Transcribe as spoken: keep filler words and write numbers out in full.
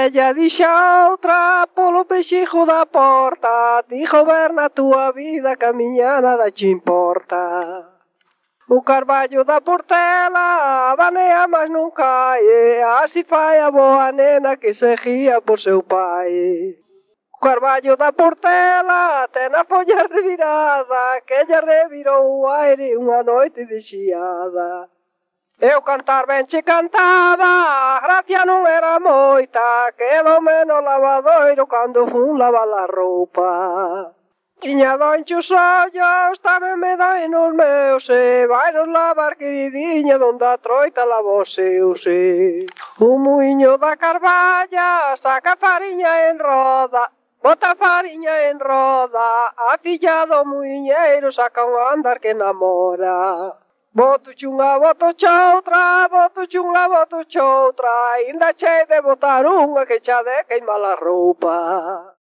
ella dixe a outra polo pexijo da porta, ti goberna a túa vida que a miña nada che importa. O carballo da Portela banea mas non cae, así fai a boa nena que seguía por seu pai. O carballo da Portela ten a folla revirada, que ella revirou o aire unha noite de xiada. Eu cantar ben che cantaba, a gracia non era moita, quedoume no lavadoiro cando fun lavar a roupa. Tiña doenche os ollos, tamén me doen os meus, e vai nos lavar, queridinha, donde a troita lava os seus, e. O muiño da Carballa saca fariña en roda, bota fariña en roda, a filla do muiñeiro saca un andar que namora. Boto chunha, boto choutra, boto chunha, boto choutra, ainda chei de botar unha que xa de queima a roupa.